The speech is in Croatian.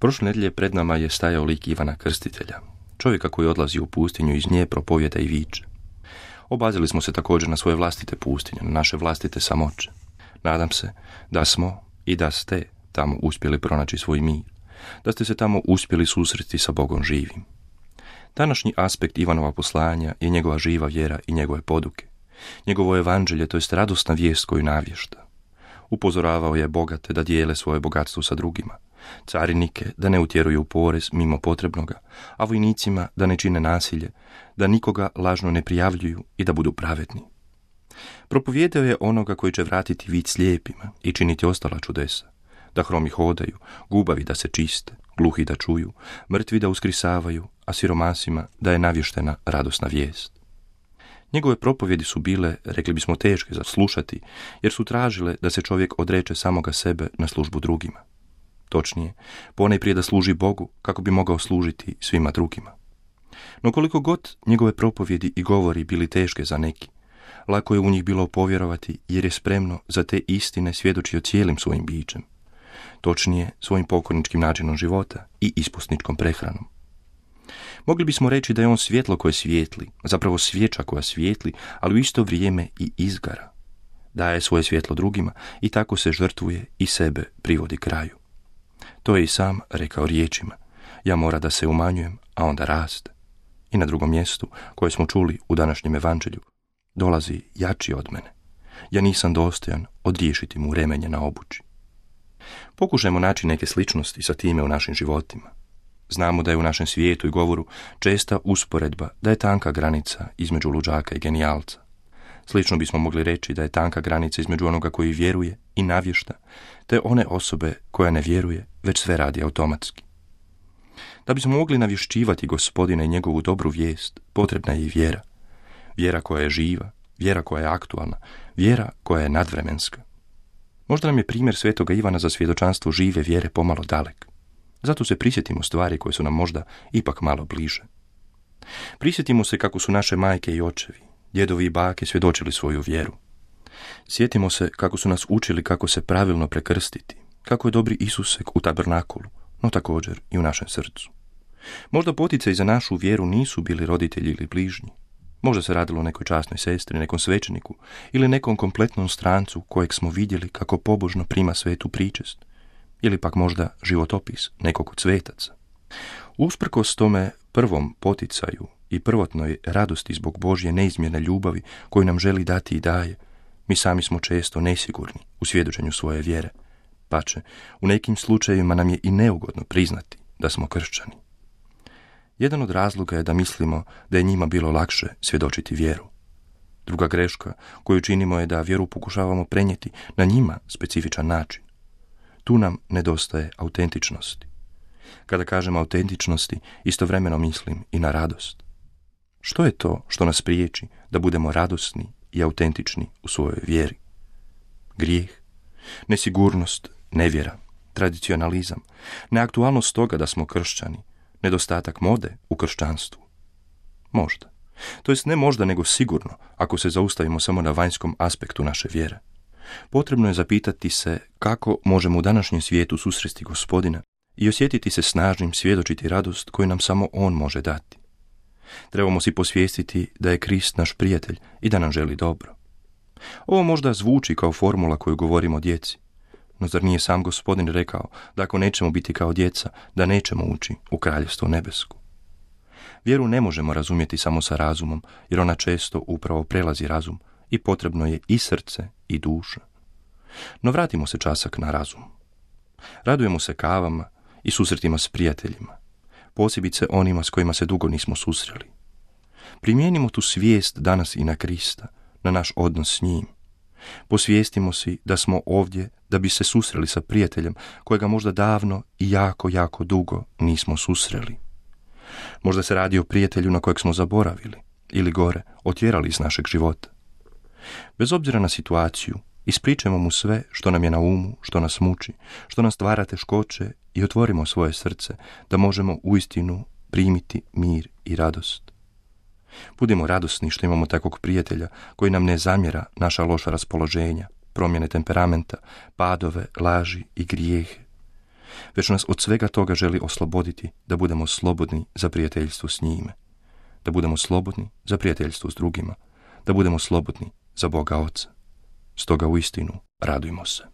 Prošle nedjelje pred nama je stajao lik Ivana Krstitelja, čovjeka koji odlazi u pustinju iz nje propovjeda i viče. Obazili smo se također na svoje vlastite pustinje, na naše vlastite samoće. Nadam se da smo i da ste tamo uspjeli pronaći svoj mir, da ste se tamo uspjeli susresti sa Bogom živim. Današnji aspekt Ivanova poslanja je njegova živa vjera i njegove poduke. Njegovo evanđelje, to jest radosna vijest koju navješta. Upozoravao je bogate da dijele svoje bogatstvo sa drugima, carinike da ne utjeruju u porez mimo potrebnoga, a vojnicima da ne čine nasilje, da nikoga lažno ne prijavljuju i da budu pravedni. Propovijedao je onoga koji će vratiti vid slijepima i činiti ostala čudesa, da hromi hodaju, gubavi da se čiste, gluhi da čuju, mrtvi da uskrisavaju, a siromasima da je navještena radosna vijest. Njegove propovjedi su bile, rekli bismo, teške za slušati, jer su tražile da se čovjek odreče samoga sebe na službu drugima. Točnije, ponajprije da služi Bogu kako bi mogao služiti svima drugima. No koliko god njegove propovjedi i govori bili teške za neki, lako je u njih bilo povjerovati jer je spremno za te istine svjedočio cijelim svojim bićem. Točnije, svojim pokorničkim načinom života i ispusničkom prehranom. Mogli bismo reći da je on svjetlo koje svijetli, zapravo svječa koja svijetli, ali u isto vrijeme i izgara. Daje svoje svjetlo drugima i tako se žrtvuje i sebe privodi kraju. To je i sam rekao riječima: ja mora da se umanjujem, a onda raste. I na drugom mjestu, koje smo čuli u današnjem evanđelju, dolazi jači od mene. Ja nisam dostojan odriješiti mu remenje na obući. Pokušajmo naći neke sličnosti sa time u našim životima. Znamo da je u našem svijetu i govoru česta usporedba da je tanka granica između luđaka i genijalca. Slično bismo mogli reći da je tanka granica između onoga koji vjeruje i navješta, te one osobe koja ne vjeruje, već sve radi automatski. Da bismo mogli navješćivati Gospodina i njegovu dobru vijest, potrebna je i vjera. Vjera koja je živa, vjera koja je aktualna, vjera koja je nadvremenska. Možda nam je primjer svetoga Ivana za svjedočanstvo žive vjere pomalo dalek. Zato se prisjetimo stvari koje su nam možda ipak malo bliže. Prisjetimo se kako su naše majke i očevi, djedovi i bake svjedočili svoju vjeru. Sjetimo se kako su nas učili kako se pravilno prekrstiti, kako je dobri Isusek u tabernakulu, no također i u našem srcu. Možda poticaj za našu vjeru nisu bili roditelji ili bližnji. Možda se radilo o nekoj časnoj sestri, nekom svećeniku ili nekom kompletnom strancu kojeg smo vidjeli kako pobožno prima svetu pričest, ili pak možda životopis nekog od svetaca. Usprkos tome prvom poticaju i prvotnoj radosti zbog Božje neizmjerne ljubavi koju nam želi dati i daje, mi sami smo često nesigurni u svjedočenju svoje vjere. Pače, u nekim slučajevima nam je i neugodno priznati da smo kršćani. Jedan od razloga je da mislimo da je njima bilo lakše svjedočiti vjeru. Druga greška koju činimo je da vjeru pokušavamo prenijeti na njima specifičan način. Tu nam nedostaje autentičnosti. Kada kažem autentičnosti, istovremeno mislim i na radost. Što je to što nas priječi da budemo radosni i autentični u svojoj vjeri? Grijeh, nesigurnost, nevjera, tradicionalizam, neaktualnost toga da smo kršćani, nedostatak mode u kršćanstvu. Možda. To jest ne možda, nego sigurno, ako se zaustavimo samo na vanjskom aspektu naše vjere. Potrebno je zapitati se kako možemo u današnjem svijetu susresti Gospodina i osjetiti se snažnim, svjedočiti radost koju nam samo On može dati. Trebamo si posvijestiti da je Krist naš prijatelj i da nam želi dobro. Ovo možda zvuči kao formula koju govorimo djeci, no zar nije sam Gospodin rekao da ako nećemo biti kao djeca, da nećemo ući u kraljevstvo nebesku? Vjeru ne možemo razumjeti samo sa razumom, jer ona često upravo prelazi razum i potrebno je i srce i duša. No vratimo se časak na razum. Radujemo se kavama i susretima s prijateljima, posebice onima s kojima se dugo nismo susreli. Primijenimo tu svijest danas i na Krista, na naš odnos s njim. Posvijestimo si da smo ovdje da bi se susreli sa prijateljem kojega možda davno i jako, jako dugo nismo susreli. Možda se radi o prijatelju na kojeg smo zaboravili ili gore, otjerali iz našeg života. Bez obzira na situaciju, ispričajmo mu sve što nam je na umu, što nas muči, što nas stvara teškoće i otvorimo svoje srce da možemo uistinu primiti mir i radost. Budimo radosni što imamo takvog prijatelja koji nam ne zamjera naša loša raspoloženja, promjene temperamenta, padove, laži i grijehe. već nas od svega toga želi osloboditi da budemo slobodni za prijateljstvo s njime, da budemo slobodni za prijateljstvo s drugima, da budemo slobodni za Boga Oca. Stoga uistinu radujmo se.